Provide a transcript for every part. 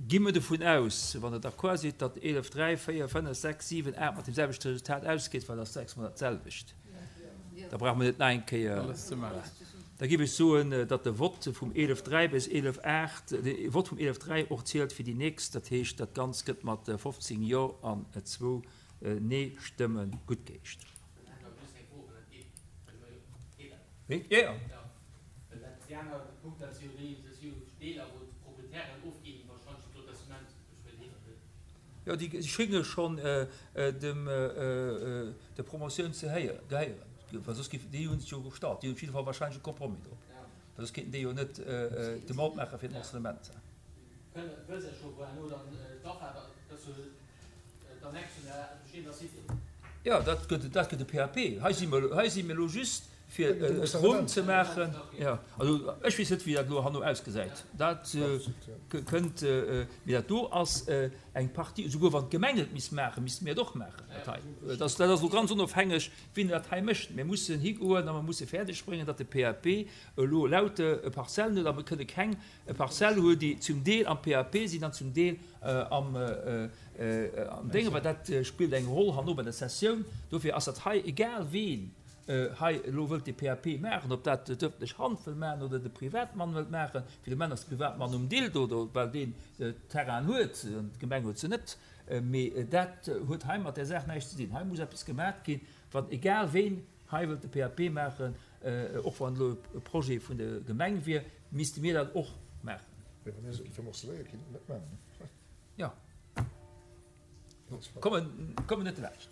Gi mer dovun aus, wann Der d'accord sidd, datt 11, 3, 4, 5, 6, 7, 8 mat deem selwechte Resultat ausgeet, well dat ass sechsmol dat selwecht. Da brauche mer net nach eng Kéier. Da géif ech soen, datt de Vott vum 11, 3 bis 11, 8, de Vott vum 11, 3 och zielt fir déi nächst. Dat heescht, dat Ganzt gëtt mat 15 Jo an zwou Nee-Stëmme guttgeheescht. Jo, déi schénge schonn dem der Promotioun ze gehéieren, well soss géifen déi hunn sech jo gestallt, déi hunn op jidde Fall warscheinlech e Compromis drop, well soss kéinten déi jo net d'Demande maache fir den Morcellement. Jo, dat gëtt, dat gëtt e PAP. Hei si mer, hei si mir elo just fir et ronn ze maachen. Jo, also ech weess net, wéi dat elo herno ausgesäit. Dat kënnt, mee dat do ass eng Partie, esouguer wann d'Gemeng et misst maachen, misste mir et och maachen, dat hei. Dat ass, dat ass elo ganz onofhängeg, wien dat hei mécht. Mir mussen higoen a mer musse fäerdeg bréngen, datt de PAP elo lauter Parzellen huet a mer kënne keng E Parzelle huet, déi zum Deel am PAP sinn an zum Deel am Déngen, well dat spillt eng Roll herno bei der Cessioun. Dofir ass dat hei, egal ween hei elo wëllt dee PAP maachen, ob dat d'ëffentlech Hand wëll maachen oder de Privatmann wëllt maachen, fir de Moment ass de Privatmann um Dill do, well deen d'Terrainen huet an d'Gemeng huet se net. Mee dat huet hei mat där Saach näischt ze dinn. Hei muss eppes gemaach ginn, wann egal ween hei wëllt de PAP maachen, Och wann elo e Projet vun der Gemeng wier, misste mir dat och maachen. Mee wa mir se géife morceléieren, kéinte mir dat maachen. Jo. Kommen, kommen net laanscht.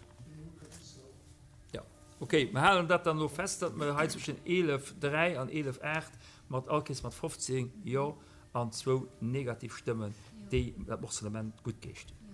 Jo. Okay, mir halen dat dann elo fest, datt mer hei zwëschen 11, 3 an 11, 8 mat all Kees mat 15 Jo an zwou negativ Stëmmen déi dat Morcellement guttgeescht hunn.